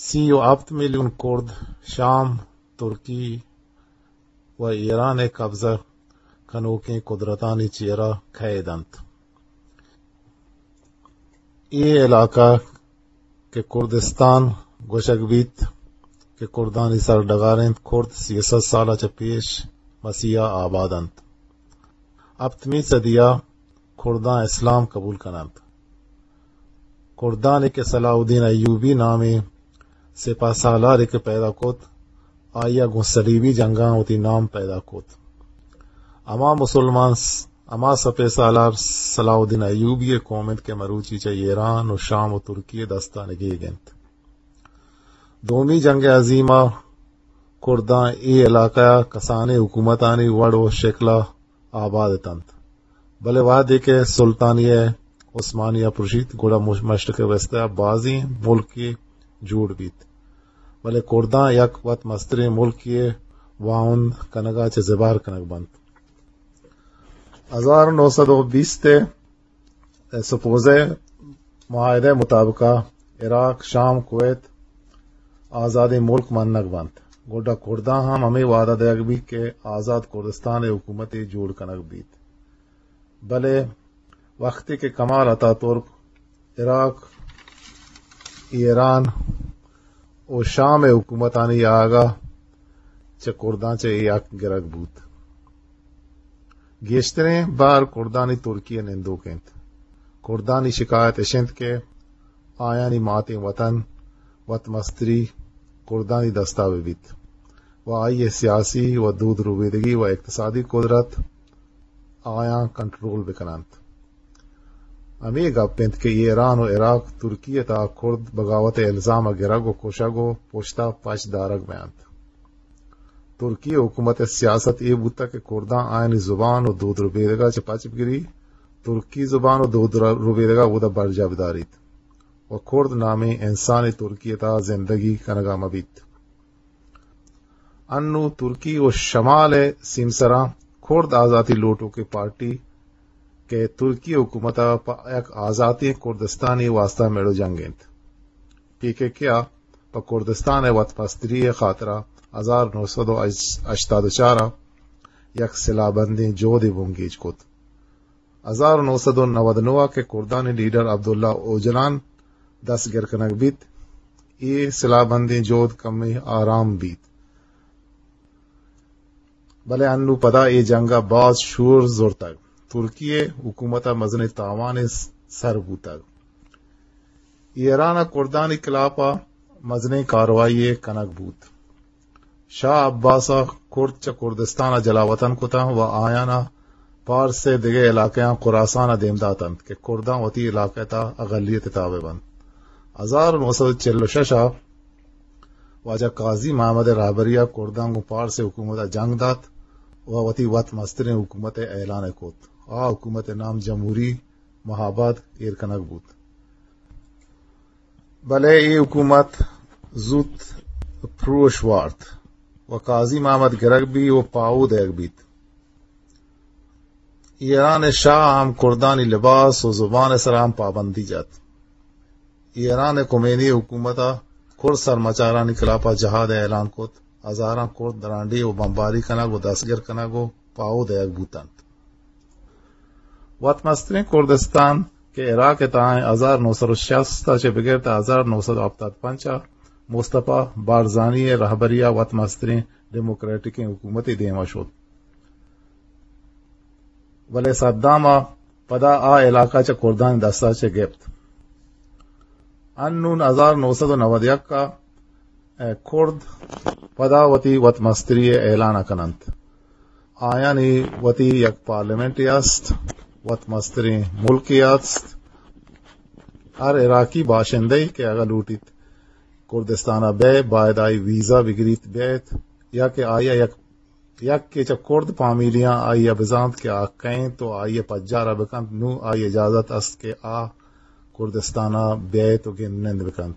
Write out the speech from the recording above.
سی و ہپت میلیون کرد شام، ترکی و ایران ءِ قبضہ کنوکیں قدرتانی چیرا قید انت۔ اے علاقہ کہ کردستان گوشگ بیت کہ کردانی سرڈگار انت، کرد سیصد سال ءَ چہ پیش مسیحا آباد انت۔ ہپتمی صدیا کرداں اسلام قبول کننت۔ کردانی کہ صلاح الدین ایوبی نامیں سپاہ سالارے کہ پیدا کت، آئی ءَ گوں صلیبی جنگاں وتی نام پیدا کت۔ ہما مسلمان س-، ہما سپہ سالار صلاح الدین ایوبی ءِ قوم انت کہ مروچی چہ ایران و شام و ترکی ءِ دستا نگیگ انت۔ دومی جنگ عظیم ءَ کرداں اے علاقہ ءَ کسانیں حکومتانی وڑ و شکل ءَ آباد اتنت، بلے وہدے کہ سلطانیہ عثمانیہ پرشیت، گڑا مش-، مشرق وسطی ءَ بازیں ملکے جوڑ بیت، بلے کرداں یک وت مستریں ملکے واہند کنگا چہ زبہر کنگ بنت۔ ہزار نو سد و بیست ءِ سپوزہ معاہدہ مطابقا عراق، شام، کویت آزادیں ملک منگ بنت۔ گڈا کرداں ہم ہمے وعدہ دیگ بیت کہ آزاد کردستان ءِ حکومتے جوڑ کنگ بیت۔ بلے وقتی کہ کمال اتاترک عراق، ایران و شام ءِ حکومتانی آہگا چہ کرداں چہ اے حق گرگ بوت۔ گیشتریں بار کردانی ترکی ءَ نندوک انت۔ کردانی شکایت اش انت کہ آیانی ماتیں وطن، وت مستری کردانی دستا بہ بیت و آئی ءِ سیاسی و دود ربیدگی و اقتصادی قدرت آیاں کنٹرول بکننت۔ ہمے گپ انت کہ ایران و عراق ترکی ءِ تہا کرد بغاوت ءِ الزام ءَ گرگ و کشگ و پشتا پچ دارگ بینت۔ ترکی حکومت ءِ سیاست اے بوتگ کہ کرداں آیانی زبان و دود ربیدگا چہ پچ بگری، ترکی زبان و دود ر-، ربیدگا اودا برجاہ بداریت و کرد نامیں انسانے ترکی ءِ تہا زندگی کنگا مبیت۔ انوں ترکی و شمال ءِ سیمسراں کرد آزاتی لوٹوکیں پارٹی کہ ترکی حکومت ءَ پہ یک آزاتیں کردستانی واسطہ میڑ و جنگ انت۔ پی کے کے ءَ پہ کردستان ءِ وت مستری ءِ خاطرا ہزار نو سد و ہشتاد و چار ءَ یک سلاہ بندیں جہدے بنگیج کت۔ ہزار نو سد و نود و نو ءَ کہ کردانی لیڈر عبداللہ اوجلان دستگر کنگ بیت، اے سلاہ بندیں جہد کمے آرام بیت۔ بلے انوں پدا اے جنگ ءَ باز شور زرتگ۔ ترکی ءِ حکومت ءَ مزنیں تاوانے س-، سر بوتگ۔ ایران ءَ کردانی خلاف ءَ مزنیں کاروائی یے کنگ بوت۔ شاہ عباس ءَ کرد چہ کردستان ءَ جلاوطن کتاں و آیان ءَ پارس ءِ دگہ علاقہاں خراسان ءَ دیم داتنت کہ کرداں وتی علاقہ ءِ تہا اقلیت ءِ تابع بنت۔ ہزار نو سد و چل و شش ءَ واجہ قاضی محمد ءِ رہبری ءَ کرداں گوں پارس ءِ حکومت ءَ جنگ دات و وتی وت مستریں حکومت ءِ اعلان ءَ کت۔ آ حکومت ءِ نام جمہوری مہاباد ایر کنگ بوت۔ بلے اے حکومت زوت پروش وارت و قاضی محمد گرگ بی و پاہو دئیگ بیت۔ ایران ءِ شاہ ہم کردانی لباس و زبان ءِ سرا ہم پابندی جت۔ ایران ءِ خمینی حکومت ءَ کرد سرمچارانی خلاف ءَ جہاد ءِ اعلان کت۔ ہزاراں کرد درانڈیھ و بمباری کنگ و دستگر کنگ و پاہو دئیگ بوتنت۔ وت مستریں کردستان کہ عراق ءِ تہا انت، ہزار نو سد و شست ءَ چہ بگر تا ہزار نو سد و ہپتاد پنچ ءَ مصطفی بارزانی ءِ رہبری ءَ وت مستریں ڈیموکریٹکیں حکومتے دیم ءَ شت۔ بلے صدام ءَ پدا آ علاقہ چہ کردانی دست ءَ چہ گپت۔ انون ہزار نو سد و نود یک ءَ کرد پدا وتی وت مستری ءِ اعلان ءَ کننت۔ آیانی وتی یک پارلیمنٹے است، وت مستریں ملکے است۔ ہر عراقی باشندہ کہ اگاں لوٹیت کردستان ءَ بئے، باید آئی ویزا بگریت بیت، یا کہ آئی ءَ یک، یک کہ چہ کرد فامیلیاں آئی ءَ بزانت کہ آ کئے انت و آئی ءِ پجار ءَ بکنت، نوں آئی ءَ اجازت است کہ آ کردستان ءَ بیت و گند نند بکنت۔